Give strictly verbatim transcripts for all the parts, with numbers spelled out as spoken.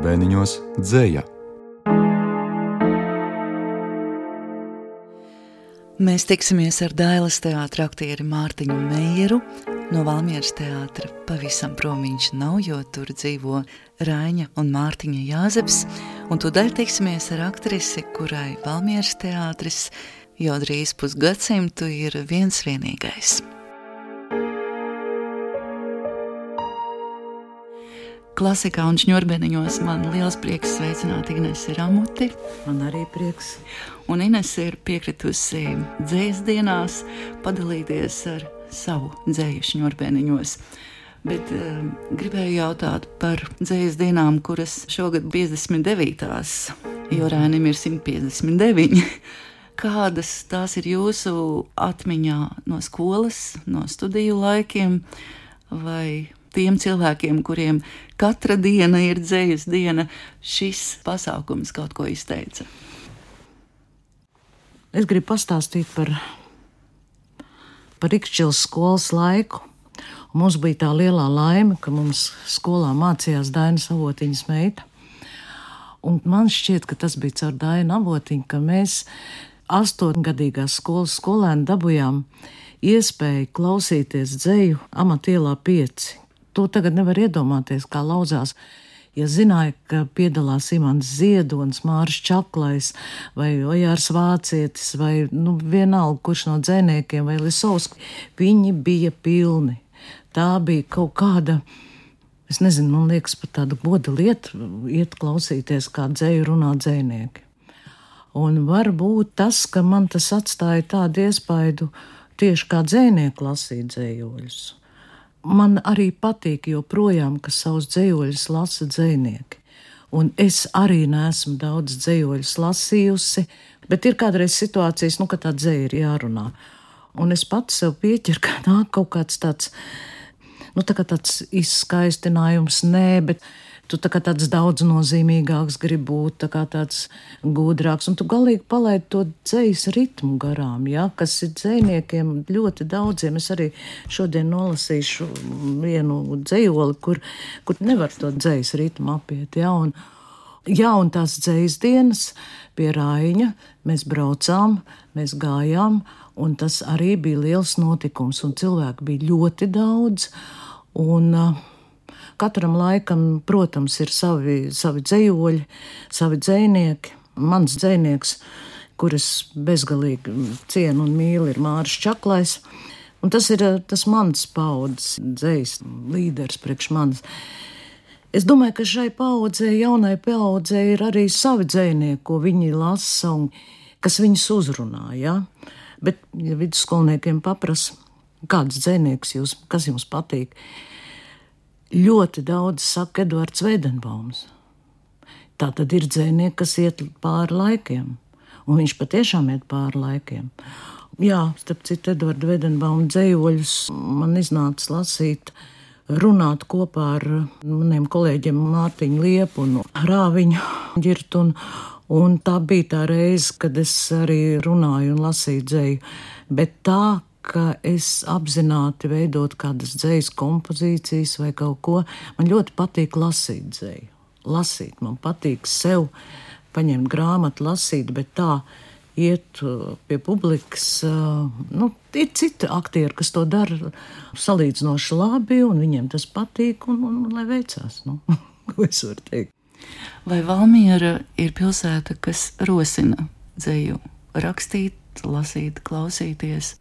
Ņurbēniņos dzeja. Mēs tiksimies ar Dailes teātra aktieri Mārtiņu Meieru. No Valmieras teātra pavisam prom viņš nav, jo tur dzīvo Raiņa un Mārtiņa Jāzeps. Un tūdaļ tiksimies ar aktrisi, kurai Valmieras teātris jau drīz pusgadsimtu ir viens vienīgais. Klasikā un Ņurbēniņos man liels prieks sveicināt Inesi Ramuti. Man arī prieks. Un Inese ir piekritusi dzejas dienās padalīties ar savu dzeju Ņurbēniņos. Bet uh, gribēju jautāt par dzejas dienām, kuras šogad piecdesmit devītās, jo Rainim ir simt piecdesmit deviņi. Kādas tās ir jūsu atmiņā no skolas, no studiju laikiem, vai tiem cilvēkiem, kuriem katra diena ir dzejas diena, šis pasākums kaut ko izteica? Es gribu pastāstīt par, par Rikšķilas skolas laiku. Un mums bija tā lielā laime, ka mums skolā mācījās Daina Avotiņas meita. Un man šķiet, ka tas bija caur Dainu Avotiņu, ka mēs astoņgadīgās skolas skolēni dabujām iespēju klausīties dzeju Amatielā pieci. To tagad nevar iedomāties, kā lauzās. Ja zināja, ka piedalās Imants Ziedonis, Māris Čaklais vai Ojārs Vācietis vai nu, vienalga, kurš no dzejniekiem vai Lisovski, viņi bija pilni. Tā bija kaut kāda, es nezinu, man liekas, pat tāda goda lieta iet klausīties, kā dzeju runā dzejnieki. Un varbūt tas, ka man tas atstāja tādu iespaidu tieši kā dzejnieku lasīt dzejoļus. Man arī patīk joprojām, ka savus dzejoļus lasa dzejnieki. Un es arī neesmu daudz dzejoļus lasījusi, bet ir kādreiz situācijas, nu, ka tā dzeja ir jārunā. Un es pats sev pieķeru, ka nāk kaut kāds tāds, nu, tā kā tāds izskaistinājums, nē, bet tu tā kā tāds daudz nozīmīgāks grib būt, tā kā tāds gudrāks, un tu galīgi palaid to dzejas ritmu garām, ja, kas ir dzejniekiem ļoti daudziem. Es arī šodien nolasīšu vienu dzejoli, kur, kur nevar to dzejas ritmu apiet, ja, un, ja, un tās dzejas dienas pie Raiņa mēs braucām, mēs gājām, un tas arī bija liels notikums, un cilvēku bija ļoti daudz, un katram laikam, protams, ir savi, savi dzejoļi, savi dzejnieki. Mans dzejnieks, kuras bezgalīgi cienu un mīlu, ir Māris Čaklais. Un tas ir tas mans paudzes dzejas līderis priekš manis. Es domāju, ka šai paudzei, jaunai paudzei ir arī savi dzejnieki, ko viņi lasa un kas viņus uzrunā. Ja? Bet, ja vidusskolniekiem paprasa, kāds dzejnieks jūs, kas jums patīk, ļoti daudz saka Eduards Veidenbaums. Tā tad ir dzejnieki, kas iet pāri laikiem. Un viņš patiešām iet pāri laikiem. Jā, starp citu, Eduarda Veidenbauma dzejoļus man iznāca lasīt, runāt kopā ar maniem kolēģiem Mārtiņu Liepu un Rāviņu Ģirtu. Un, un tā bija tā reize, kad es arī runāju un lasīju dzeju. Bet tā, ka es apzināti veidot kādas dzejas kompozīcijas vai kaut ko, man ļoti patīk lasīt dzeju. Lasīt, man patīk sev paņemt grāmatu, lasīt, bet tā iet pie publikas. Nu, ir citi aktieri, kas to dara salīdzinoši labi, un viņiem tas patīk, un, un, un lai veicās. Nu, ko es varu teikt? Vai Valmiera ir pilsēta, kas rosina dzeju rakstīt, lasīt, klausīties?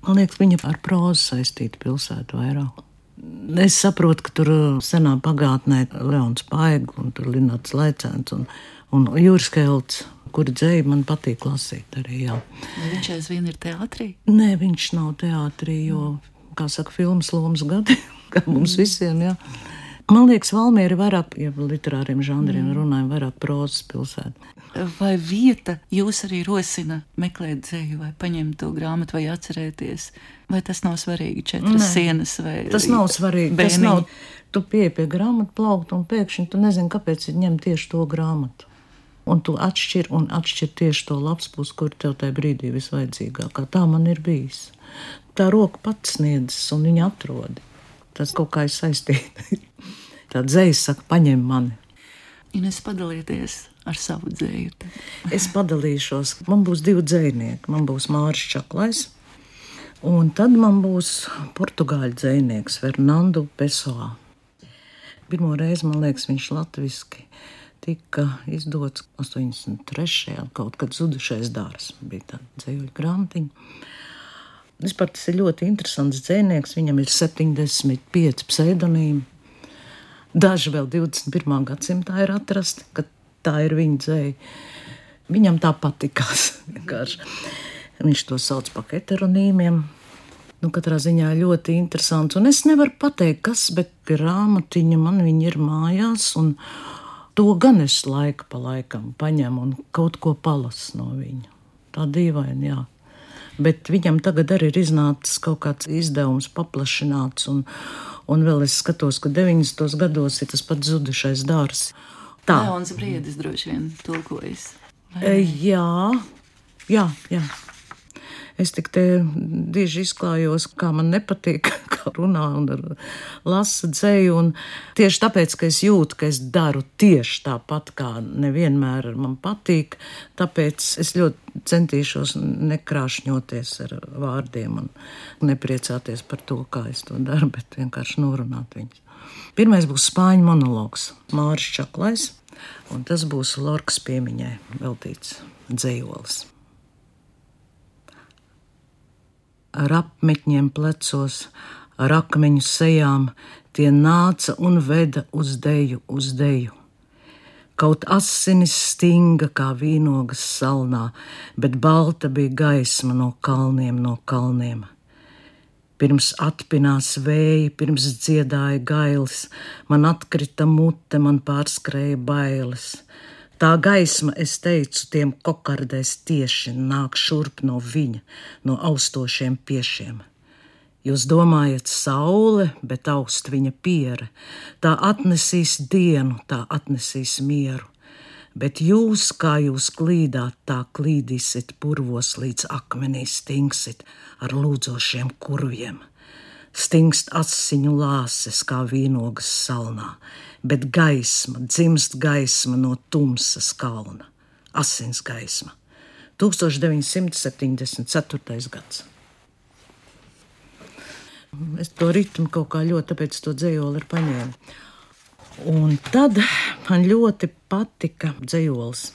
Man liekas, viņa ar prózu saistīta pilsētu vairāk. Es saprotu, ka tur senā pagātnē Leons Paigl un tur Linards Laicēns un, un Jūras Kelts, kura dzeju man patīk lasīt arī, jā. Vai viņš aizvien ir teātrī? Nē, viņš nav teātrī, jo, kā saka, filmas lomas gadi, kā mums visiem, jā. Man liekas, Valmiera ir vairāk, ja literāriem žanriem runājam, vairāk prózas pilsēta. Vai vieta jūs arī rosina meklēt dzeju vai paņemt to grāmatu vai atcerēties? Vai tas nav svarīgi, četras Nē, sienas vai tas nav svarīgi. Bēniņi? Tas nav, tu pieeji pie grāmatu plaukta un pēkšņi tu nezini, kāpēc ir ņemt tieši to grāmatu. Un tu atšķir un atšķir tieši to lapspus, kur tev tajā brīdī visvajadzīgākā. Tā man ir bijis. Tā roka pats sniedzas un viņa atrodi. Tas kaut kā ir saistīti. Tā dzēja saka, paņem mani. Ines, padalieties ar savu dzēju. Es padalīšos. Man būs divi dzējnieki. Man būs Māris Čaklais, un tad man būs portugāļu dzējnieks Fernando Pessoa. Pirmo reizi, man liekas, viņš latviski tika izdots astoņdesmit trešajā kaut kad Zudušais dārs. Bija tāda dzējuļu grāmatiņa. Vispār tas ir ļoti interesants dzējnieks. Viņam ir septiņdesmit pieci pseidonīmi. Daži vēl divdesmit pirmā gadsimtā ir atrasti, ka tā ir viņa dzēja. Viņam tā patikās. Viņš to sauc par heteronīmiem. Nu, katrā ziņā ļoti interesants. Un es nevaru pateikt, kas, bet grāmatiņa man viņa ir mājās, un to gan es laika pa laikam paņemu un kaut ko palasu no viņa. Tā dīvaini, jā. Bet viņam tagad arī ir iznācis kaut kāds izdevums paplašināts, un, un vēl es skatos, ka deviņdesmitos gados ir tas pats Zudušais dārs. Tā. Leons Briedis droši vien tulkojas. E, jā, jā, jā. Es tik te dieži izklājos, kā man nepatīk, kā runā un lasa dzēju, un tieši tāpēc, ka es jūtu, ka es daru tieši tāpat, kā nevienmēr man patīk, tāpēc es ļoti centīšos nekrāšņoties ar vārdiem un nepriecāties par to, kā es to daru, bet vienkārši norunāt viņus. Pirmais būs spāņu monologs Māris Čaklais, un tas būs Lorkas piemiņai veltīts dzējolis. Ar apmetņiem plecos, ar akmeņu sejām, tie nāca un veda uz deju, uz deju. Kaut asinis stinga kā vīnogas salnā, bet balta bija gaisma no kalniem, no kalniem. Pirms atpinās vēji, pirms dziedāja gailis, man atkrita mute, man pārskrēja bailes. Tā gaisma, es teicu, tiem kokardēs tieši nāk šurp no viņa, no austošiem piešiem. Jūs domājat saule, bet aust viņa piere. Tā atnesīs dienu, tā atnesīs mieru. Bet jūs, kā jūs klīdāt, tā klīdīsit purvos līdz akmenī stingsit ar lūdzošiem kurviem. Stingst asiņu lāses kā vīnogas salnā, bet gaisma, dzimst gaisma no tumsas kalna. Asins gaisma. tūkstoš deviņi simti septiņdesmit ceturtais gads. Es to ritmu kaut kā ļoti, tāpēc to dzējoli ir paņēmu. Un tad man ļoti patika dzējolis.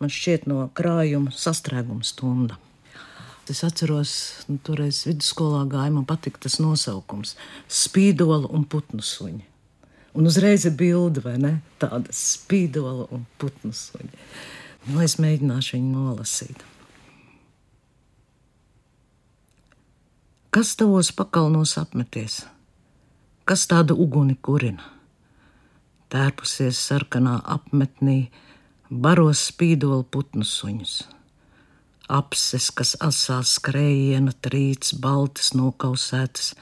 Man šķiet no krājuma Sastrēguma stunda. Es atceros, nu, toreiz vidusskolā gāja, man patika tas nosaukums – Spīdola un putnu suņi. Un uzreiz ir bilde, vai ne? Tāda spīdola un putnu suņi. Nu, es mēģināšu viņu nolasīt. Kas tavos pakalnos apmeties? Kas tādu uguni kurina? Tērpusies sarkanā apmetnī, baros spīdola putnu suņus. Apses, kas asā skrējiena trīts, baltas nokausētas,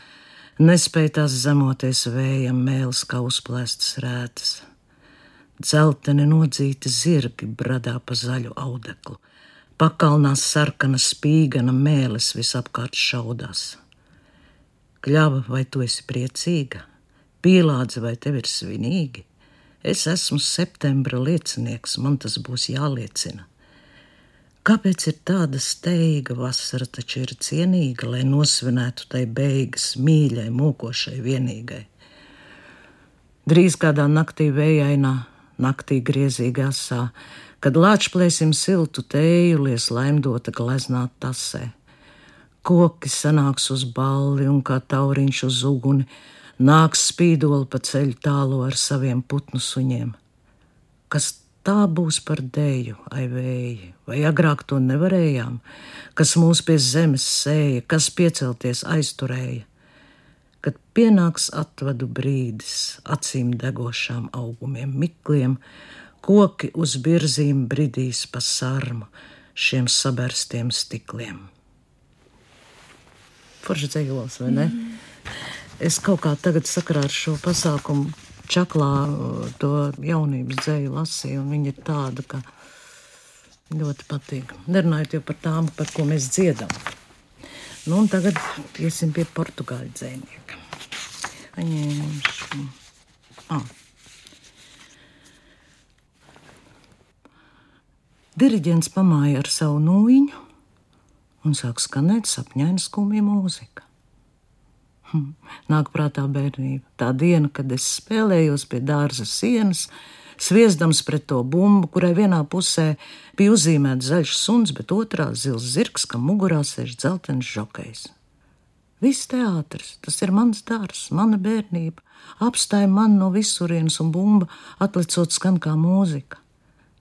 nespēj tās zemoties vējam, mēles kā uzplēstas rētas. Dzelteni nodzīti zirgi bradā pa zaļu audeklu, pakalnās sarkana spīgana mēles visapkārt šaudās. Kļava, vai tu esi priecīga? Pīlādze, vai tev ir svinīgi? Es esmu septembra liecinieks, man tas būs jāliecina. Kāpēc ir tāda steiga? Vasara taču ir cienīga, lai nosvinētu tai beigas mīļai, mokošai vienīgai. Drīz kādā naktī vējainā, naktī griezīgā sā, kad lāčplēsim siltu tēju, lies laimdota gleznāt tasē. Koki sanāks uz balli un kā tauriņš uz uguni, nāks spīdoli pa ceļu tālo ar saviem putnu suņiem. Kas tā būs par dēju, ai vēji, vai agrāk to nevarējām, kas mūs pie zemes sēja, kas piecelties aizturēja. Kad pienāks atvadu brīdis, acīm degošām augumiem mikliem, koki uz birzīm bridīs pa sarmu šiem saberstiem stikliem. Forši dzējols, vai ne? Mm. Es kaut kā tagad sakarā ar šo pasākumu Čaklā to jaunības dzēju lasīju, un viņa ir tāda, ka ļoti patīk. Nerunājot jau par tām, par ko mēs dziedam. Nu, un tagad iesim pie portugāļu dzējnieka. Paņēmuši. Ah, Diriģents pamāja ar savu nūjiņu un sāk skanēt sapņaina skumja mūzika. Hm. Nāk prātā bērnība. Tā diena, kad es spēlējos pie dārza sienas, sviesdams pret to bumbu, kurai vienā pusē bija uzzīmēts zaļš suns, bet otrā zils zirgs, kam mugurā sēž dzeltens žokejs. Viss teātris, tas ir mans dārs, mana bērnība, apstāja man no visurienes un bumba atlicot skan kā mūzika.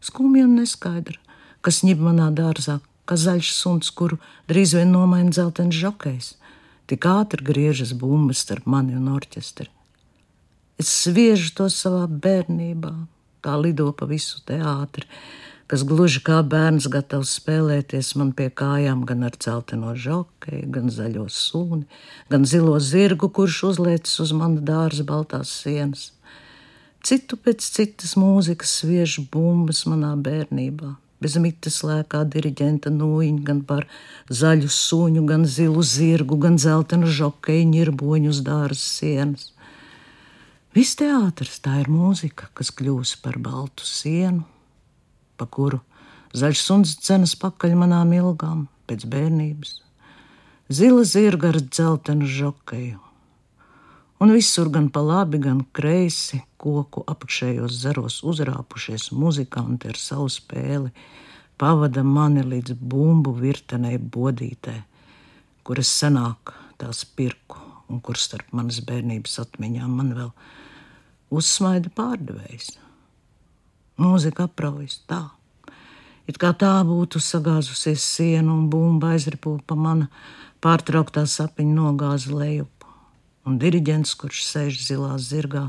Skumja un neskaidra, kas ņib manā dārzā, kā zaļš suns, kuru drīz vien nomaina dzeltens žokejs. Tik ātri griežas bumbas starp mani un orķestri. Es sviežu to savā bērnībā, tā lido pa visu teātri, kas gluži kā bērns gatavs spēlēties man pie kājām gan ar dzelteno žokeju, gan zaļo suni, gan zilo zirgu, kurš uzliecis uz mana dārza baltās sienas. Citu pēc citas mūzikas sviež bumbas manā bērnībā. Bez mitas lēkā diriģenta nūjiņa gan par zaļu suņu, gan zilu zirgu, gan dzeltenu žokeju ņirboņu uz dārza sienas. Viss teātris, tā ir mūzika, kas kļūs par baltu sienu, pa kuru zaļš suns dzenas pakaļ manām ilgām pēc bērnības. Zila zirga ar dzeltenu žokeju. Un visur gan pa labi, gan kreisi koku apakšējos zaros uzrāpušies muzikanti ar savu spēli, pavada mani līdz bumbu virtenei bodītē, kuras senāk tās pirku un kur starp manas bērnības atmiņām man vēl uzsmaida pārdevējs. Mūzika apraujas tā, it kā tā būtu sagāzusies sienu un bumba aizripo pa mana pārtrauktā sapiņa nogāza lejup. Un diriģents, kurš sēž zilā zirgā,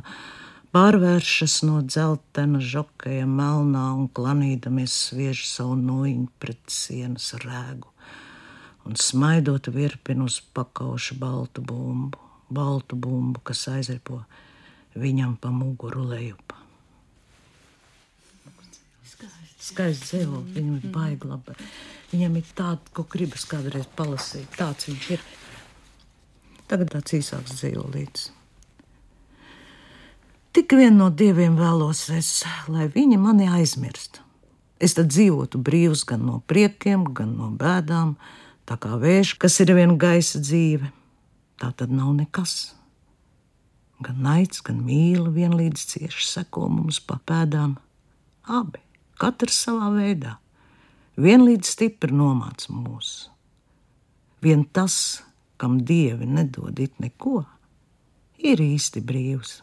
pārvēršas no dzeltena žokeja melnā un klanīdamies sviež savu nūjiņu pret sienas rēgu un smaidot virpin uz pakauša baltu bumbu, baltu bumbu, kas aizripo viņam pa muguru lejup. Skaists dzīvo, viņam ir baigi labi. Viņam ir tāda, ko gribas kādreiz palasīt, tāds viņš ir. Tagad tāds īsāks dzīvolīts. Tik vien no dieviem vēlos es, lai viņi mani aizmirst. Es tad dzīvotu brīvs gan no priekiem, gan no bēdām, tā kā vējš, kas ir vien gaisa dzīve. Tā tad nav nekas. Gan naids, gan mīla vienlīdz cieši seko mums pa pēdām. Abi, katrs savā veidā, vienlīdz stipri nomāc mūs. Vien tas, kam dievi nedod it neko, ir īsti brīvs.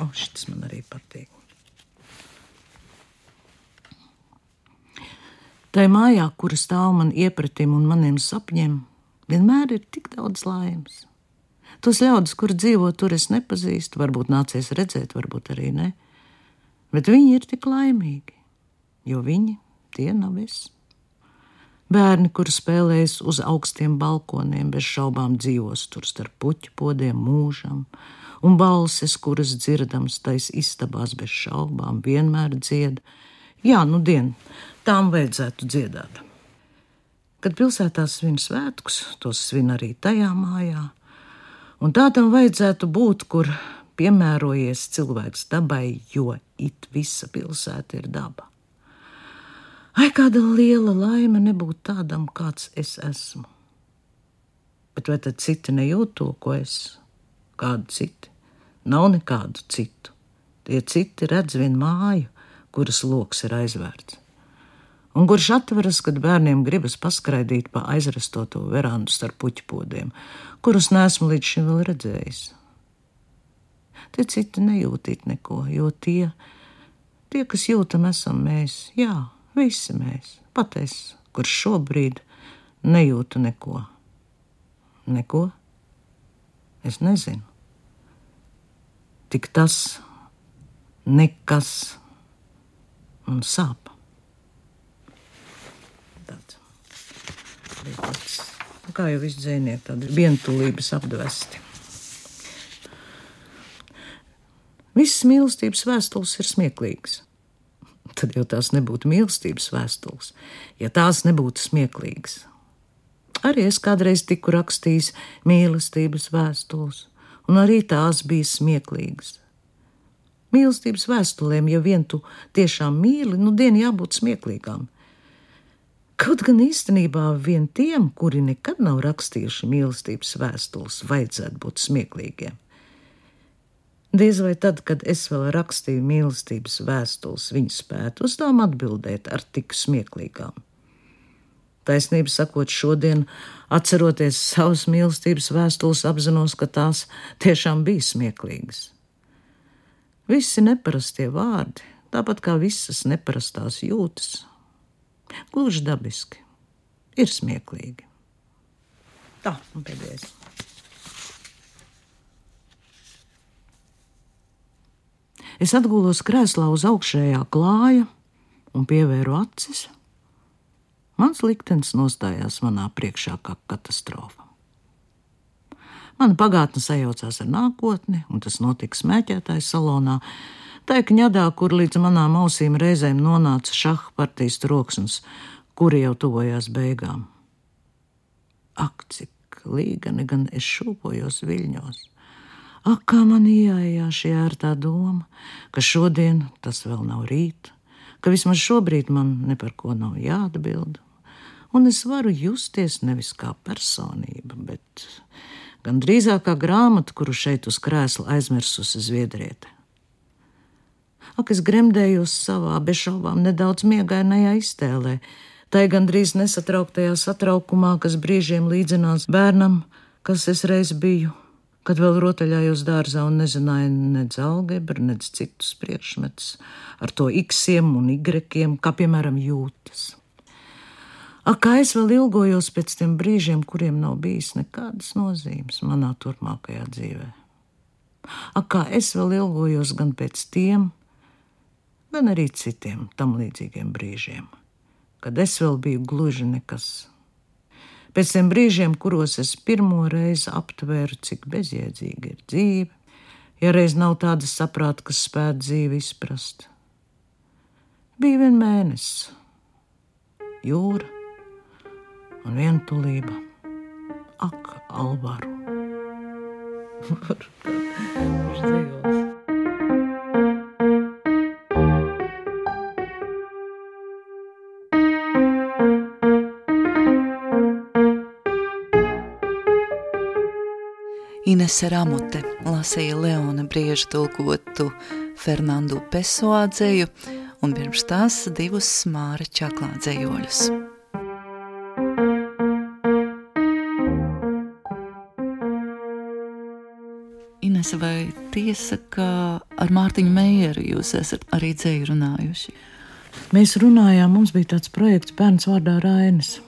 O, šitas man arī patīk. Tai mājā, kura stāv man iepratim un maniem sapņiem, vienmēr ir tik daudz laimes. Tos ļaudis, kur dzīvo tur, es nepazīstu, varbūt nācies redzēt, varbūt arī ne, bet viņi ir tik laimīgi, jo viņi tie nav es. Bērni, kuri spēlējas uz augstiem balkoniem, bez šaubām dzīvos tur starp puķu podiem mūžam, un balses, kuras dzirdams tais istabās bez šaubām, vienmēr dzied. Jā, nu dien, tām vajadzētu dziedāt. Kad pilsētā svin svētkus, tos svin arī tajā mājā, un tā tam vajadzētu būt, kur piemērojies cilvēks dabai, jo it visa pilsēta ir daba. Ai, kāda liela laime nebūt tādam, kāds es esmu. Bet vai tad citi nejūt to, ko es? Kādu citi? Nav nekādu citu. Tie citi redz vien māju, kuras loks ir aizvērts. Un kurš atveras, kad bērniem gribas paskraidīt pa aizrestoto verandu starp puķpodiem, kurus neesmu līdz šim vēl redzējis. Tie citi nejūtīt neko, jo tie, tie, kas jūtam, esam mēs, jā, visi mēs, pat es, kurš šobrīd nejūtu neko. Neko? Es nezinu. Tik tas nekas man sāp. Tāds. Tāds. Kā jau visi dzēnieki, tādi vientulības apdvesti. Visas mīlestības vēstules ir smieklīgas. Tad jau tās nebūtu mīlestības vēstules, ja tās nebūtu smieklīgas. Arī es kādreiz tiku rakstījis mīlestības vēstules, un arī tās bija smieklīgas. Mīlestības vēstulēm, ja vien tu tiešām mīli, nu dien jābūt smieklīgām. Kaut gan īstenībā vien tiem, kuri nekad nav rakstījuši mīlestības vēstules, vajadzētu būt smieklīgiem. Diez vai tad, kad es vēl rakstīju mīlestības vēstules, viņi spētu uz tām atbildēt ar tik smieklīgām. Taisnība sakot, šodien, atceroties savas mīlestības vēstules, apzinos, ka tās tiešām bija smieklīgas. Visi neparastie vārdi, tāpat kā visas neparastās jūtas, gluži dabiski, ir smieklīgi. Tā, un pēdējais. Es atgulos krēslā uz augšējā klāja un pievēru acis. Mans liktenis nostājās manā priekšā kā katastrofa. Mana pagātne sajaucās ar nākotni, un tas notika smēķētāju salonā, tā kņadā, kur līdz manām ausīm reizēm nonāca šaha partijas troksnis, kuri jau tuvojās beigām. Ak, cik līgani gan es šūpojos viļņos. Ak, kā man iejājā šī ērtā doma, ka šodien tas vēl nav rīt, ka vismaz šobrīd man ne par ko nav jāatbild, un es varu justies nevis kā personība, bet gan drīzāk kā grāmata, kuru šeit uz krēsla aizmirsusi Zviedriete. Ak, es gremdējos savā, bez šaubām nedaudz miegainajā iztēlē, tai gandrīz nesatrauktajā satraukumā, kas brīžiem līdzinās bērnam, kas es reiz biju, kad vēl rotaļājos dārzā un nezināju nec algebru, nec citus priekšmetus, ar to iksiem un igrekiem, kā piemēram jūtas. Ak, kā es vēl ilgojos pēc tiem brīžiem, kuriem nav bijis nekādas nozīmes manā turpmākajā dzīvē. Ak, kā es vēl ilgojos gan pēc tiem, gan arī citiem tam līdzīgiem brīžiem, kad es vēl biju gluži nekas. Pēc tiem brīžiem, kuros es pirmo reizi aptvēru, cik bezjēdzīga ir dzīve, ja reiz nav tādas saprāta, kas spētu dzīvi izprast. Bija vien mēnesis, jūra un vientulība. Ak, Alvaru. Viņš dzīvos. Inese Ramote lasīja Leona Brieža tulkotu Fernandu Pessoa dzeju un pirms tās divus Māra Čaklā dzejoļus. Inese, vai tiesa, ka ar Mārtiņu Meijeru jūs esat arī dzeju runājuši? Mēs runājām, mums bija tāds projekts Bērns vārdā Rainis.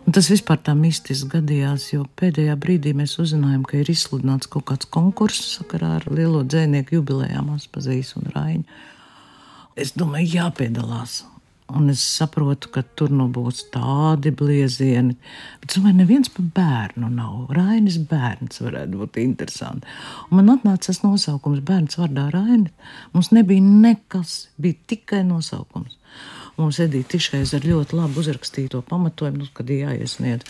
Un tas vispār tā mistiski gadījās, jo pēdējā brīdī mēs uzzinājām, ka ir izsludināts kaut kāds konkurss sakarā ar lielo dzejnieku jubilejām Aspazīs un Raiņu. Es domāju, jāpiedalās. Un es saprotu, ka tur nu būs tādi bliezieni. Bet es domāju, neviens pa bērnu nav. Rainis bērns varētu būt interesanti. Un man atnāca tas nosaukums Bērns vārdā Raini. Mums nebija nekas, bija tikai nosaukums. Mums Edīte Tišais ar ļoti labu uzrakstīto pamatojumu, nu, kad jāiesniedz.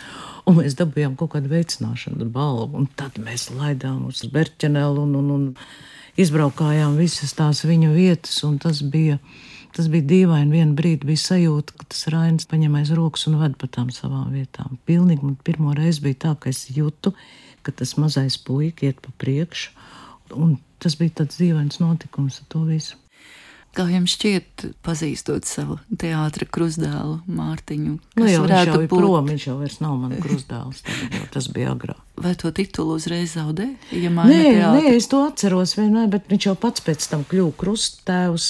Un mēs dabījām kaut kādu veicināšanu balvu. Un tad mēs laidām uz Berķenelu un, un, un izbraukājām visas tās viņa vietas. Un tas bija, tas bija dīvaini. Vienu brīdi bija sajūta, ka tas Rainis paņem aiz rokas un ved pa tām savām vietām. Pilnīgi man pirmo reizi bija tā, ka es jūtu, ka tas mazais puika iet pa priekšu. Un tas bija tāds dīvains notikums ar to visu. Kā jums šķiet, pazīstot savu teātra krustdēlu Mārtiņu? Nu jau, viņš jau ir būt... prom, viņš jau vairs nav man krustdēls, tas bija agrāk. Vai to titulu uzreiz zaudē? Ja nē, nē, es to atceros vienmēr, bet viņš jau pats pēc tam kļuva krusttēvs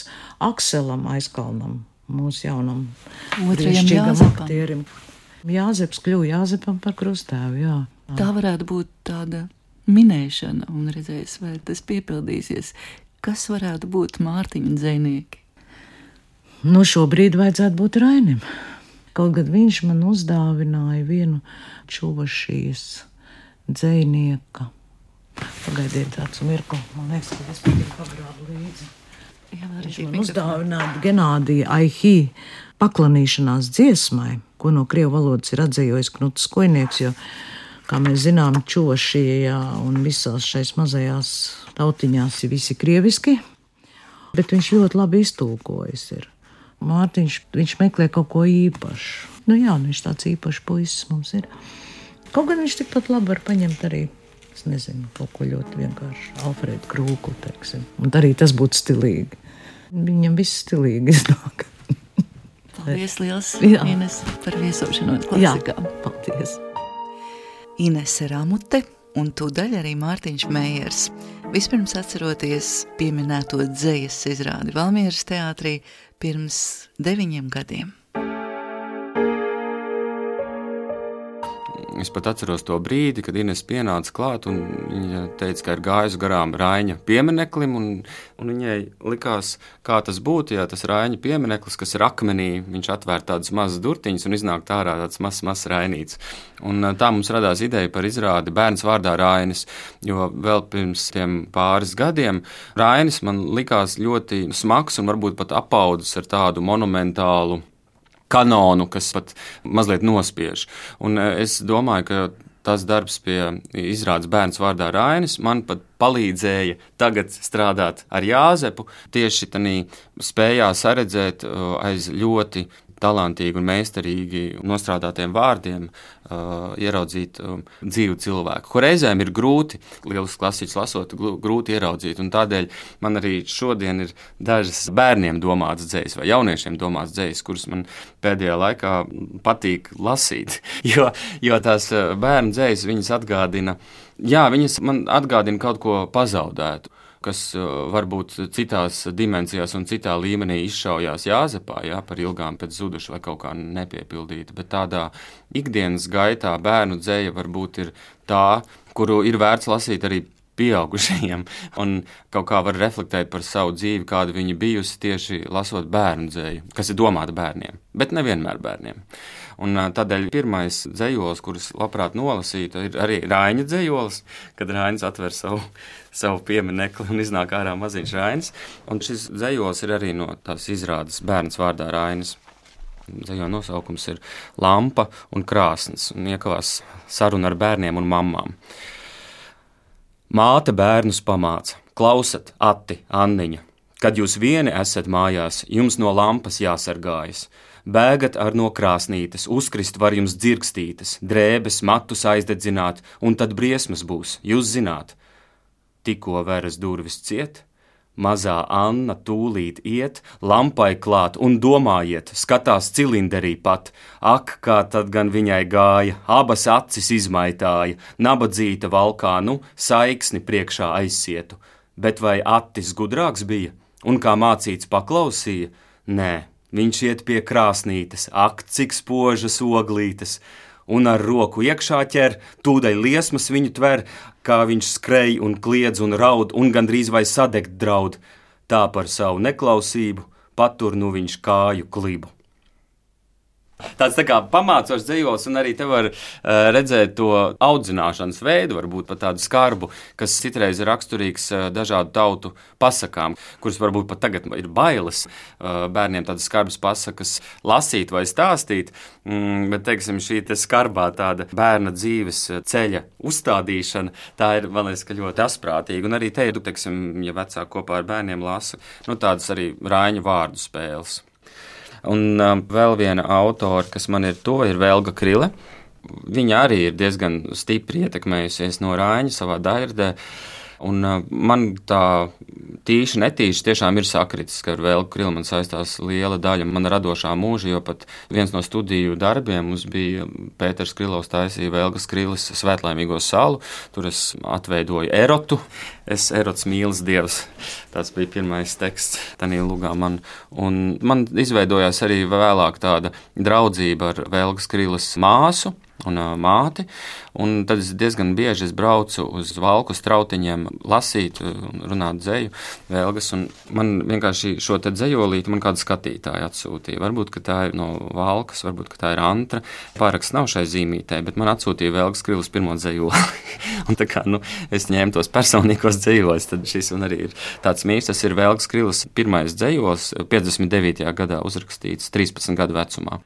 Akselam Aizkalnam, mūsu jaunam brīnišķīgam aktierim. Jāzeps kļuva Jāzepam par krusttēvu, jā. Tā varētu būt tāda minēšana un redzēs, vai tas piepildīsies. Kas varētu būt Mārtiņa dzejnieki? Nu, šobrīd vajadzētu būt Rainim. Kaut gan viņš man uzdāvināja vienu Čuvašijas dzejnieka. Pagaidiet tāds mirkli, man liekas, ka es pat ir pagrābu līdzi. Jā, viņš man uzdāvināja Genādija Aihī paklanīšanās dziesmai, ko no krievu valodas ir atzējojis Knuts Skojnieks, jo, kā mēs zinām, Čuvašijā un visās šais mazajās tautiņās ir visi krieviski. bet viņš ļoti labi iztulkojis ir. Mārtiņš, viņš meklē kaut ko īpašu. Nu jā, viņš tāds īpašs puisis mums ir. Kaut gan viņš tikpat labi var paņemt arī, es nezinu, kaut ko ļoti vienkārši Alfredu Krūku, teiksim. Un arī tas būtu stilīgi. Viņam viss stilīgi iznāk. Paldies liels, Jā. Ines, par viesošanos klasikā. Jā, paldies. Inese Ramute un tūdaļ arī Mārtiņš Meijers. Vispirms atceroties pieminēto dzejas izrādi Valmieras teātrī pirms deviņiem gadiem. Es pat atceros to brīdi, kad Ines pienāca klāt un viņa teica, ka ir gājusi garām Raiņa piemineklim, un, un viņai likās, kā tas būtu, ja tas Raiņa piemineklis, kas ir akmenī, viņš atvēr tādas mazas durtiņas un iznāk ārā tāds mazs, mazs Rainīts. Un tā mums radās ideja par izrādi Bērns vārdā Rainis, jo vēl pirms tiem pāris gadiem Rainis man likās ļoti smags un varbūt pat apaudzis ar tādu monumentālu kanonu, kas pat mazliet nospiež. Un es domāju, ka tas darbs pie izrādes Bērns vārdā Rainis man pat palīdzēja tagad strādāt ar Jāzepu, tieši tanī spējā saredzēt aiz ļoti talantīgi un meistarīgi nostrādātiem vārdiem uh, ieraudzīt um, dzīvu cilvēku, ko reizēm ir grūti, lielas klasiķus lasot, grūti ieraudzīt, un tādēļ man arī šodien ir dažas bērniem domātas dzejas vai jauniešiem domātas dzejas, kuras man pēdējā laikā patīk lasīt, jo, jo tās bērnu dzejas viņas atgādina, jā, viņas man atgādina kaut ko pazaudētu, kas varbūt citās dimensijās un citā līmenī izšaujās Jāzepā, jā, par ilgām pēc zuduša vai kaut kā nepiepildīta, bet tādā ikdienas gaitā bērnu dzeja varbūt ir tā, kuru ir vērts lasīt arī pieaugušajiem, un kaut kā var reflektēt par savu dzīvi, kāda viņa bijusi tieši lasot bērnu dzeju, kas ir domāta bērniem, bet nevienmēr bērniem. Un tādēļ pirmais dzejols, kurus labprāt nolasītu, ir arī Raiņa dzejols, kad Rainis atver savu, savu pieminekli un iznāk ārā maziņš Rainis. Un šis dzejols ir arī no tās izrādes Bērns vārdā Rainis. Dzejo nosaukums ir Lampa un krāsns, un iekavās saruna ar bērniem un mammām. Māte bērnus pamāca, klausat, Ati, Anniņa, kad jūs vieni esat mājās, jums no lampas jāsargājas. Bēgat ar no krāsnītes, uzkrist var jums dzirkstītes, drēbes, matus aizdedzināt, un tad briesmas būs, jūs zināt. Tikko veras durvis ciet, mazā Anna tūlīt iet, lampai klāt un domājiet, skatās cilinderī pat. Ak, kā tad gan viņai gāja, abas acis izmaitāja, nabadzīta valkā, nu, saiksni priekšā aizsietu. Bet vai Attis gudrāks bija, un kā mācīts paklausīja? Nē. Viņš iet pie krāsnītes, ak, cik spožas oglītes, un ar roku iekšā ķer, tūdaļ liesmas viņu tver, kā viņš skrej un kliedz un raud, un gandrīz vai sadegt draud. Tā par savu neklausību patur nu viņš kāju klibu. Tāds tā kā pamācošs dzejols, un arī te var uh, redzēt to audzināšanas veidu, varbūt pat tādu skarbu, kas citreiz ir raksturīgs uh, dažādu tautu pasakām, kuras varbūt pat tagad ir bailes uh, bērniem tādas skarbas pasakas lasīt vai stāstīt, mm, bet, teiksim, šī te skarbā tāda bērna dzīves ceļa uzstādīšana, tā ir, man liekas, ka ļoti asprātīga, un arī te ir, teiksim, ja vecāki kopā ar bērniem lasa, nu tādas arī Raiņa vārdu spēles. Un um, vēl viena autora, kas man ir to, ir Velga Krile. Viņa arī ir diezgan stipri ietekmējusies no Raiņa savā dairdē. Un uh, man tā tīši netīši tiešām ir sakritis, ka ar Velgu Krilu man saistās liela daļa mana radošā mūža, jo pat viens no studiju darbiem mums bija Pēters Krilovs taisīja Velgas Krilis Svētlaimīgo salu. Tur es atveidoju erotu. Es erots mīlas dievs. Tas bija pirmais teksts tanī lugā man. Un man izveidojās arī vēlāk tāda draudzība ar Velgas Krilas māsu un uh, māti, un tad es diezgan bieži es braucu uz Valku strautiņiem lasīt un runāt dzeju Velgas, un man vienkārši šo te dzejolīti man kāda skatītāja atsūtīja. Varbūt, ka tā ir no Valkas, varbūt, ka tā ir Antra. Pāraksts nav šai zīmītē, bet man atsūtīja Velgas Krilis pirmo dzejoli. Un tā kā, nu, es ņēmu tos personīgos dzejoļus, tad šis un arī ir tāds mīļš. Tas ir Velgas Krilis pirmais dzejols, piecdesmit devītajā gadā uzrakstīts, trīspadsmit gadu vecumā.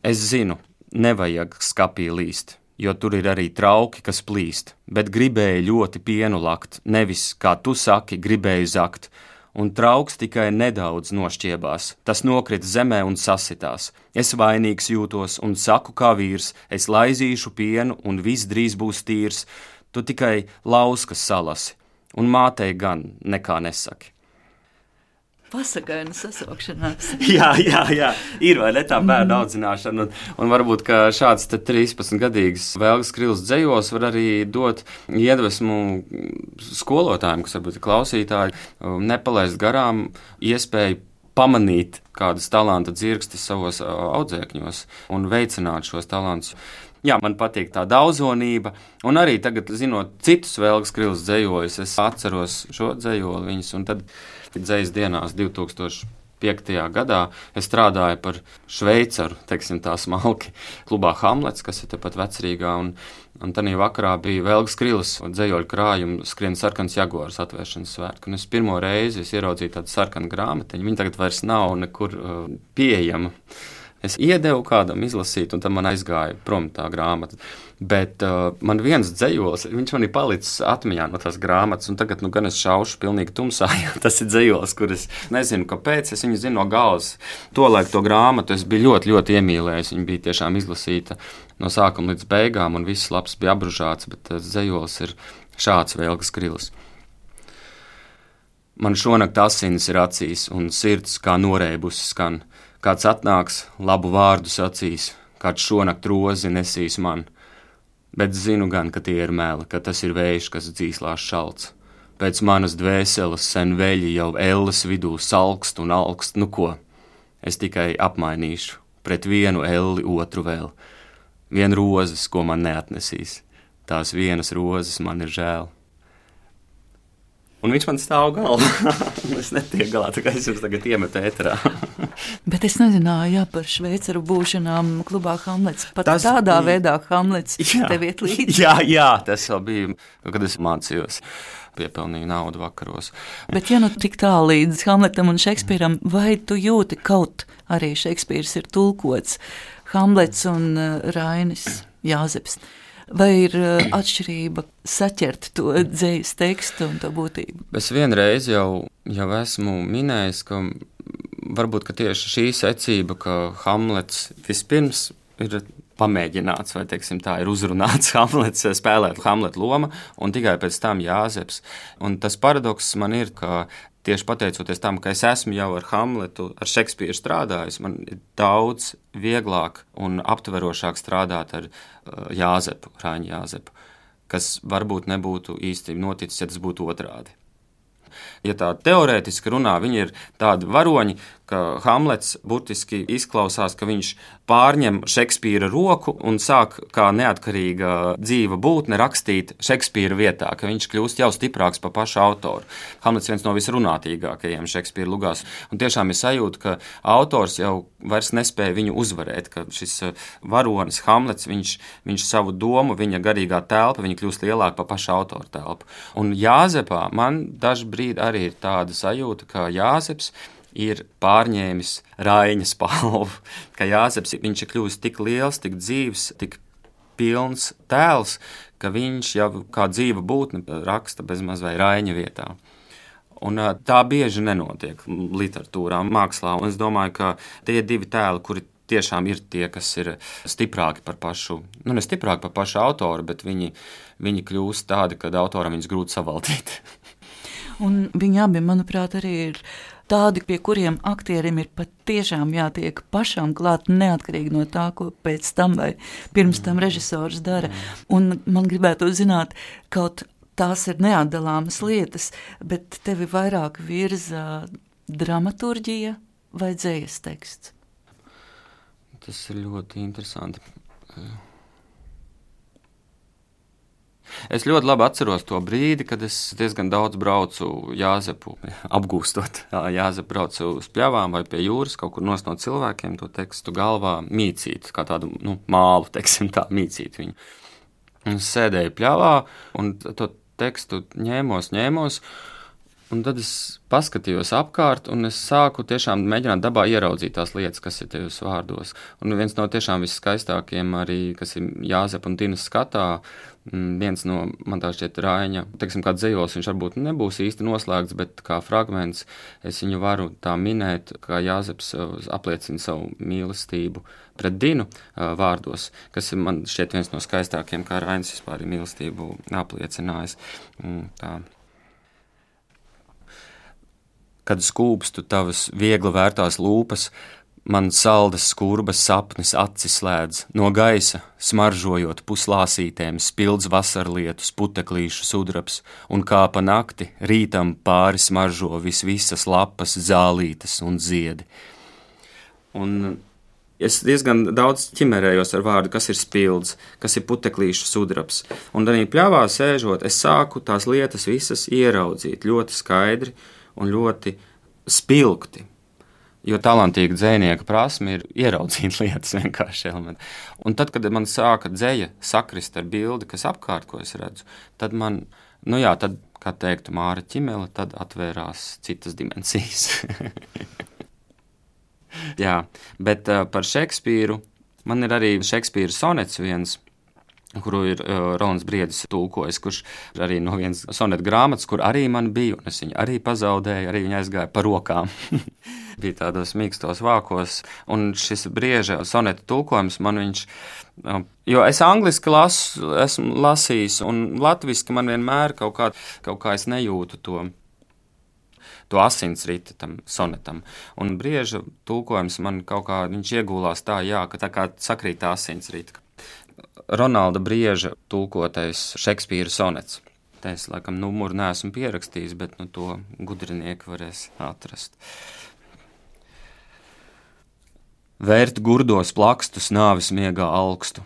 Es zinu, nevajag skapī līst, jo tur ir arī trauki, kas plīst, bet gribēju ļoti pienu lakt, nevis, kā tu saki, gribēju zakt, un trauks tikai nedaudz nošķiebās. Tas nokrita zemē un sasitās. Es vainīgs jūtos un saku kā vīrs, es laizīšu pienu un viss drīz būs tīrs. Tu tikai lauskas salasi, un mātei gan nekā nesaki. Pasakaina sasaukšanās. jā, jā, jā, ir vai ne tā bērnu audzināšana, un, un varbūt, ka šāds trīspadsmitgadīgs Velgas Krilas dzejos var arī dot iedvesmu skolotājiem, kas varbūt ir klausītāji, nepalaist garām iespēju pamanīt kādas talanta dzirkstes savos audzēkņos un veicināt šos talantus. Jā, man patīk tā daudzonība, un arī tagad, zinot citus Velgas Krilas dzejojus, es atceros šo dzejoli viņus, un tad dzejas dienās divtūkstoš piektajā gadā es strādāju par šveicaru, teiksim tā smalki, klubā Hamlets, kas ir tepat Vecrīgā, un, un tanī vakarā bija Velgas Krilas dzejoļu krājumu skrien sarkans Jaguars atvēršanas svētku, un es pirmo reizi es ieraudzīju tādu sarkanu grāmatiņu, viņa tagad vairs nav nekur uh, pieejama. Es iedevu kādam izlasīt, un tad man aizgāja prom tā grāmata. Bet uh, man viens dzejols, viņš man ir palicis atmiņā no tās grāmatas, un tagad nu gan es šaušu pilnīgi tumsā, jo tas ir dzejols, kur es nezinu, kāpēc, es viņu zinu no galvas. Tolaik to grāmatu es biju ļoti, ļoti iemīlējis, viņa bija tiešām izlasīta no sākuma līdz beigām, un viss labs bija apbružāts, bet tas dzejols ir šāds Velgas Krilas. Man šonakt asinis ir acīs, un sirds kā noreibusi skan. Kāds atnāks, labu vārdu sacīs, kāds šonakt rozi nesīs man. Bet zinu gan, ka tie ir meli, ka tas ir vējš, kas dzīslās šalts. Pēc manas dvēseles sen veļi jau elles vidū salkst un alkst, nu ko? Es tikai apmainīšu, pret vienu elli otru vēl. Vien rozes, ko man neatnesīs, tās vienas rozes man ir žēl. Un viņš man stāv galvā. Es netieku galā, tā kā es jums tagad iemetu ēterā. Bet es nezināju, jā, par šveicaru būšanām klubā Hamlets. Pat tas tādā bija... veidā Hamlets jā. Tev iet līdzi. Jā, jā, tas vēl bija, kad es mācījos. Piepelnīju naudu vakaros. Bet ja nu tik tā līdz Hamletam un Šekspīram, vai tu jūti kaut arī Šekspīrs ir tulkots, Hamlets un Rainis Jāzeps? Vai ir atšķirība saķert to dzejas tekstu un to būtību? Es vienreiz jau, jau esmu minējis, ka varbūt ka tieši šī secība, ka Hamlets vispirms ir pamēģināts, vai teiksim tā, ir uzrunāts Hamlets, spēlēt Hamleta loma, un tikai pēc tam Jāzeps. Un tas paradoks man ir, ka tieši pateicoties tam, ka es esmu jau ar Hamletu, ar Šekspīru strādājis, man ir daudz vieglāk un aptverošāk strādāt ar uh, Jāzepu, Raiņu Jāzepu, kas varbūt nebūtu īsti noticis, ja tas būtu otrādi. Ja tā teorētiski runā, viņi ir tādi varoņi, ka Hamlets burtiski izklausās, ka viņš pārņem Šekspīra roku un sāk kā neatkarīga dzīva būtne rakstīt Šekspīra vietā, ka viņš kļūst jau stiprāks par pašu autoru. Hamlets viens no visrunātīgākajiem Šekspīra lugās, un tiešām ir sajūta, ka autors jau vairs nespēja viņu uzvarēt, ka šis varonis Hamlets, viņš, viņš savu domu, viņa garīgā telpa, viņa kļūst lielāka par pašu autoru telpu. Un Jāzepā man dažbrīd arī ir tāda sajūta, ka Jāzeps ir pārņēmis Raiņa spalvu, ka Jāzeps viņš ir kļuvis tik liels, tik dzīvs, tik pilns tēls, ka viņš jau kā dzīva būtne raksta bezmaz vai Raiņa vietā. Un tā bieži nenotiek literatūrā, mākslā, un es domāju, ka tie divi tēli, kuri tiešām ir tie, kas ir stiprāki par pašu, nu ne stiprāki par pašu autoru, bet viņi, viņi kļūst tādi, kad autoram viņus grūti savaldīt. Un viņi abi, manuprāt, arī ir tādi, pie kuriem aktierim ir pat tiešām jātiek pašam klāt, neatkarīgi no tā, ko pēc tam vai pirms tam režisors dara. Un man gribētu zināt, kaut tās ir neatdalāmas lietas, bet tevi vairāk virza dramaturģija vai dzejas teksts? Tas ir ļoti interesanti. Es ļoti labi atceros to brīdi, kad es diezgan daudz braucu Jāzepu, apgūstot Jāzepu, braucu uz pļavām vai pie jūras, kaut kur nost no cilvēkiem to tekstu galvā mīcīt, kā tādu nu, mālu, teiksim tā, mīcīt viņu. Un es sēdēju pļavā un to tekstu ņēmos, ņēmos, Un tad es paskatījos apkārt, un es sāku tiešām mēģināt dabā ieraudzīt tās lietas, kas ir tajos vārdos. Un viens no tiešām viskaistākiem arī, kas ir Jāzepa un Tinas skatā, viens no, man tā šķiet, Raiņa, teiksim, kā dzejos, viņš varbūt nebūs īsti noslēgts, bet kā fragments es viņu varu tā minēt, kā Jāzeps apliecina savu mīlestību pret Dinu vārdos, kas ir man šķiet viens no skaistākiem, kā Rainis vispār ir mīlestību apliecinājis. Tā. Kad skūpstu tavas viegli vērtās lūpas, man saldas skurbas sapnis acis slēdz, no gaisa, smaržojot puslāsītēm, spildz vasarlietus, puteklīšu sudrabs, un kā pa nakti rītam pāri smaržo vis visas lapas, zālītes un ziedi. Un es diezgan daudz ķimerējos ar vārdu, kas ir spildz, kas ir puteklīšu sudrabs. Un arī pļavā sēžot, es sāku tās lietas visas ieraudzīt ļoti skaidri, un ļoti spilgti, jo talantīga dzejnieka prasme ir ieraudzīt lietas vienkārši elementi. Un tad, kad man sāka dzeja sakrist ar bildi, kas apkārt, ko es redzu, tad man, nu jā, tad, kā teiktu Māra Ķimele, tad atvērās citas dimensijas. Jā, bet uh, par Šekspīru, man ir arī Šekspīra sonets viens, kuru ir uh, Rolands Briedis tulkojis, kurš arī no vienas sonetu grāmatas, kur arī man bija, un es viņu arī pazaudēju, arī viņa aizgāja pa rokām. Bija tādos mīkstos vākos, un šis Brieža sonetu tulkojums man viņš, uh, jo es angliski lasu, esmu lasījis, un latviski man vienmēr kaut kā, kaut kā es nejūtu to, to asinsrita tam sonetam. Un Brieža tulkojums man kaut kā, viņš iegūlās tā, jā, ka tā kā sakrīt asinsrita. Ronalda Brieža tulkotais Šekspīra sonets. Te es, laikam, numuru neesmu pierakstījis, bet nu, to gudrinieki varēs atrast. Vērt gurdos plakstus nāvis miegā alkstu,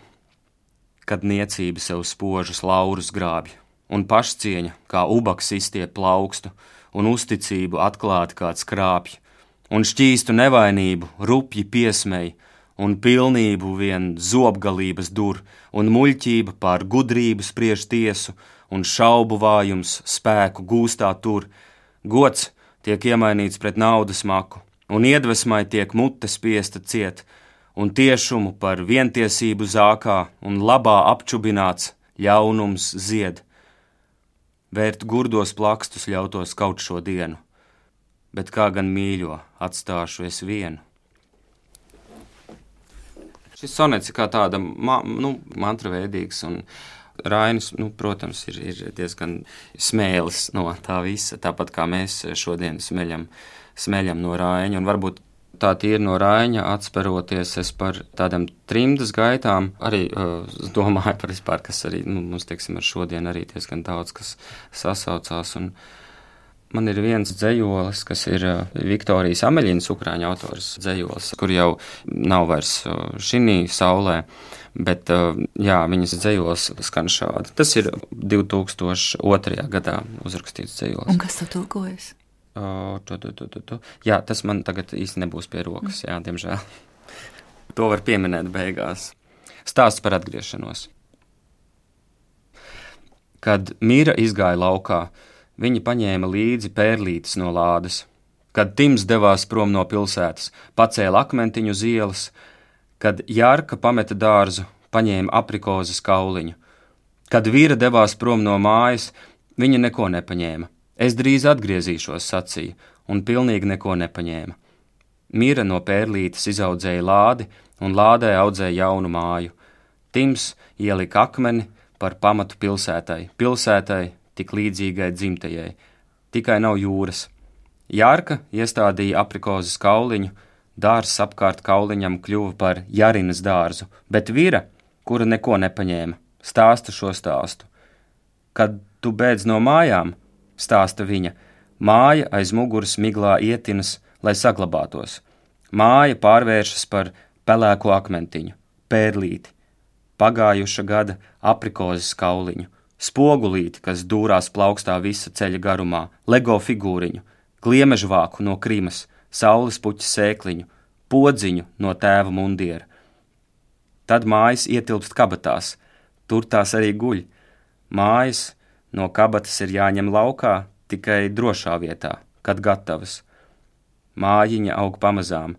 kad niecība sev spožus laurus grābj, un pašcieņa kā ubaks izstiep plaukstu, un uzticību atklāti kāds krāpj, un šķīstu nevainību rupji piesmej, un pilnību vien zobgalības dur, un muļķība pār gudrību spriež tiesu, un šaubu vājums spēku gūstā tur. Gods tiek iemainīts pret naudas maku, un iedvesmai tiek mute spiesta ciet, un tiešumu par vientiesību zākā, un labā apčubināts ļaunums zied. Vērt gurdos plakstus ļautos kaut šo dienu, bet kā gan mīļo atstāšu es vienu. Šis sonets ir kā tāda ma, nu, mantraveidīgs, un Rainis, nu, protams, ir, ir diezgan smēlis no tā visa, tāpat kā mēs šodien smeļam, smeļam no Raiņa, un varbūt tā tīri no Raiņa atsperoties es par tādām trimdas gaitām, arī uh, domāju par vispār, kas arī, nu, mums, teiksim, ar šodien arī diezgan daudz, kas sasaucās, un man ir viens dzejolis, kas ir Viktorijas Ameļinas ukrāņu autors dzejolis, kur jau nav vairs šinī saulē, bet jā, viņas dzejolis skan šādi. Tas ir divi tūkstoši otrajā gadā uzrakstīts dzejolis. Un kas tu tulkojas? O, tu, tu, tu, tu, tu. Jā, tas man tagad īsti nebūs pie rokas, jā, diemžēl. To var pieminēt beigās. Stāsts par atgriešanos. Kad Mīra izgāja laukā, viņi paņēma līdzi pērlītes no lādes. Kad Tims devās prom no pilsētas, pacēla akmentiņu uz ielas, kad Jārka pameta dārzu, paņēma aprikozes kauliņu. Kad Vīra devās prom no mājas, viņa neko nepaņēma. Es drīz atgriezīšos, sacīja, un pilnīgi neko nepaņēma. Mīra no pērlītes izaudzēja lādi, un lādē audzēja jaunu māju. Tims ielika akmeni par pamatu pilsētai, pilsētai, tik līdzīgai dzimtajai, tikai nav jūras. Jārka iestādīja aprikozes kauliņu, dārzs apkārt kauliņam kļuva par Jarinas dārzu, bet Vīra, kura neko nepaņēma, stāsta šo stāstu. Kad tu beidz no mājām, stāsta viņa, māja aiz muguras miglā ietinas, lai saglabātos. Māja pārvēršas par pelēko akmentiņu, pērlīti, pagājuša gada aprikozes kauliņu, spogulīti, kas dūrās plaukstā visa ceļa garumā, lego figūriņu, gliemežvāku no Krimas, saules puķa sēkliņu, podziņu no tēva mundiera. Tad mājas ietilpst kabatās, tur tās arī guļ. Mājas no kabatas ir jāņem laukā, tikai drošā vietā, kad gatavas. Mājiņa aug pamazām.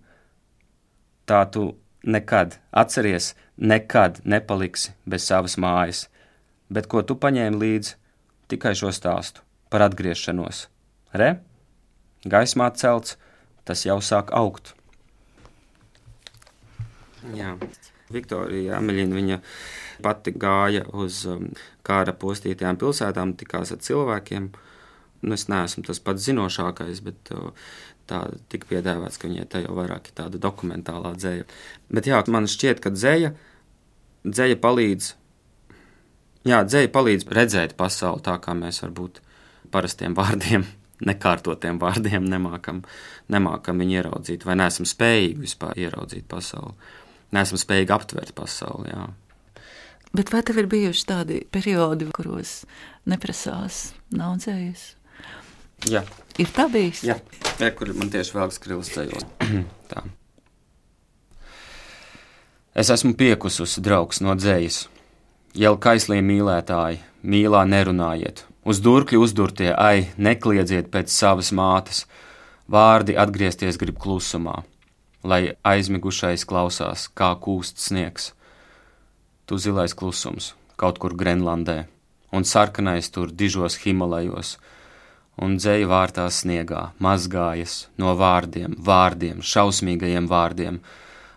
Tā tu nekad, atceries, nekad nepaliksi bez savas mājas, bet ko tu paņēmi līdzi? Tikai šo stāstu par atgriešanos. Re? Gaismā celts, tas jau sāk augt. Jā, Viktorija Ameļina, viņa pati gāja uz kāra postītajām pilsētām, tikās ar cilvēkiem. Nu, es neesmu tas pats zinošākais, bet tā tika piedāvāts, ka viņai tā jau vairāk ir tāda dokumentālā dzeja. Bet jā, man šķiet, ka dzeja, dzeja palīdz, jā, dzeja palīdz redzēt pasauli tā, kā mēs varbūt parastiem vārdiem, nekārtotiem vārdiem nemākam, nemākam viņu ieraudzīt, vai neesam spējīgi vispār ieraudzīt pasauli. Neesam spējīgi aptvert pasauli, jā. Bet vai tev ir bijuši tādi periodi, kuros neprasās, nav dzējas? Jā. Ir tā bijis? Jā, jā, kur man tieši vēl skrils ceļos. Tā. Es esmu piekususi draugs no dzējas. Jau kaislī mīlētāji, mīlā nerunājiet. Uz durkļu uzdurtie, ai, nekliedzieet pēc savas mātes. Vārdi atgriezties grib klusumā, lai aizmigušais klausās, kā kūst sniegs. Tu zilais klusums, kaut kur Grenlandē, un sarkanais tur dižos Himalajos, un dzeja vārtās sniegā, mazgājas no vārdiem, vārdiem, šausmīgajiem vārdiem,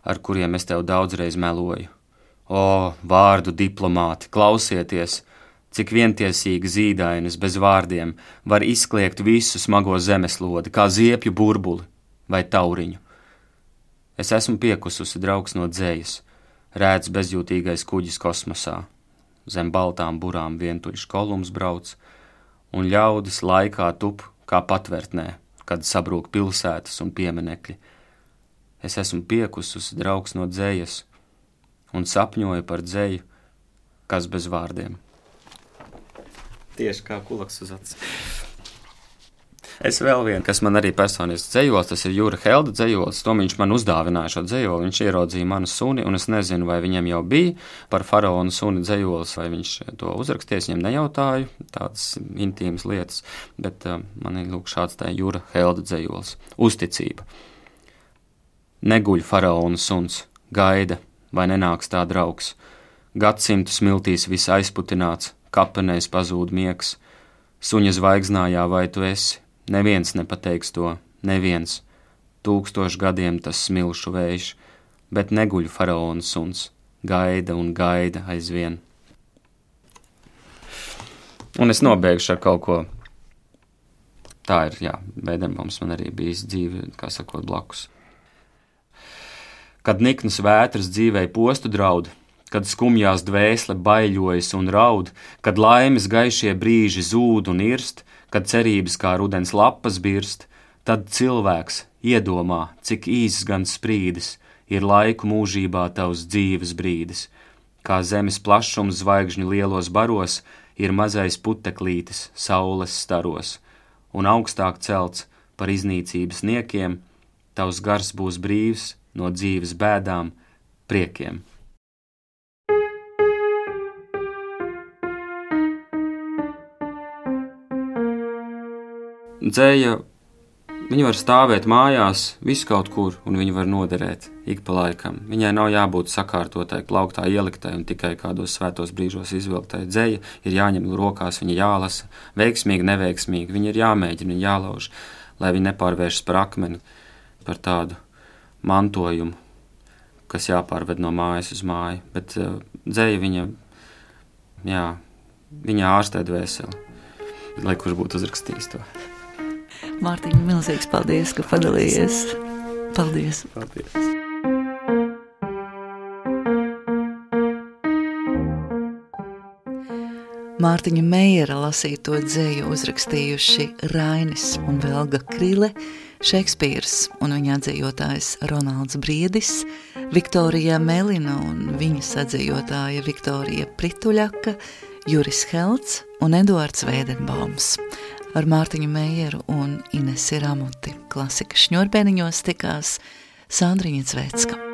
ar kuriem es tev daudzreiz meloju. O, vārdu diplomāti, klausieties, cik vientiesīgi zīdainis bez vārdiem var izkliegt visu smago zemeslodi, kā ziepju burbuli vai tauriņu. Es esmu piekususi draugs no dzējas, rēts bezjūtīgais kuģis kosmosā. Zem baltām burām vientuļš kolums brauc, un ļaudis laikā tup kā patvertnē, kad sabrūk pilsētas un pieminekļi. Es esmu piekususi draugs no dzējas un sapņoju par dzēju, kas bez vārdiem. Tieši kā kulaks uz acis. Es vēl vienu, kas man arī personiski dzējols, tas ir Jūra Helda dzējols. To viņš man uzdāvināja šo dzējoli. Viņš ieraudzīja manu suni, un es nezinu, vai viņam jau bija par faraonu suni dzējols, vai viņš to uzraksties. Viņam nejautāju tādas intīmas lietas, bet uh, man ir lūk šāds tā Jūra Helda dzējols. Uzticība. Neguļ faraona suns, gaida, vai nenāks tā draugs. Gadsimtu smiltīs viss aizputināts, kapenēs pazūd miegs. Suņa zvaigznājā vai tu esi? Neviens nepateiks to, neviens. Tūkstošu gadiem tas smilšu vējš, bet neguļ faraona suns, gaida un gaida aizvien. Un es nobeigšu ar kaut ko. Tā ir, jā, Vēdenbaums man arī bijis dzīve, kā sakot, blakus. Kad niknas vētras dzīvei postu draud, kad skumjās dvēsle baiļojas un raud, kad laimes gaišie brīži zūd un irst, kad cerības kā rudens lapas birst, tad cilvēks iedomā, cik īss gan sprīdis ir laiku mūžībā tavs dzīves brīdis. Kā zemes plašums zvaigžņu lielos baros ir mazais puteklītis saules staros, un augstāk celts par iznīcības niekiem, tavs gars būs brīvs no dzīves bēdām, priekiem. Dzēja, viņa var stāvēt mājās, visu kaut kur, un viņa var noderēt ik pa laikam. Viņai nav jābūt sakārtotai, plauktā ieliktai un tikai kādos svētos brīžos izvilktai. Dzēja ir jāņem rokās, viņa jālasa, veiksmīgi, neveiksmīgi, viņa ir jāmēģina, viņa jālauž, lai viņa nepārvēršas par akmeni, par tādu mantojumu, kas jāpārved no mājas uz māju. Bet uh, dzēja viņa, jā, viņa ārstē dvēseli, lai kurš būtu uzrakstījis to. Mārtiņ, milzīgs paldies, ka padalījies. Paldies. Paldies. Mārtiņa Meiera lasīto dzēju uzrakstījuši Rainis un Velga Krile, Šekspīrs un viņa atzējotājs Ronalds Briedis, Viktorija Melina un viņas atzējotāja Viktorija Prituļaka, Juris Helts un Eduards Vēdenbaums. Ar Mārtiņu Meieru un Inesi Ramuti Klasikas šņurbēniņos tikās Sandriņa Zvecka.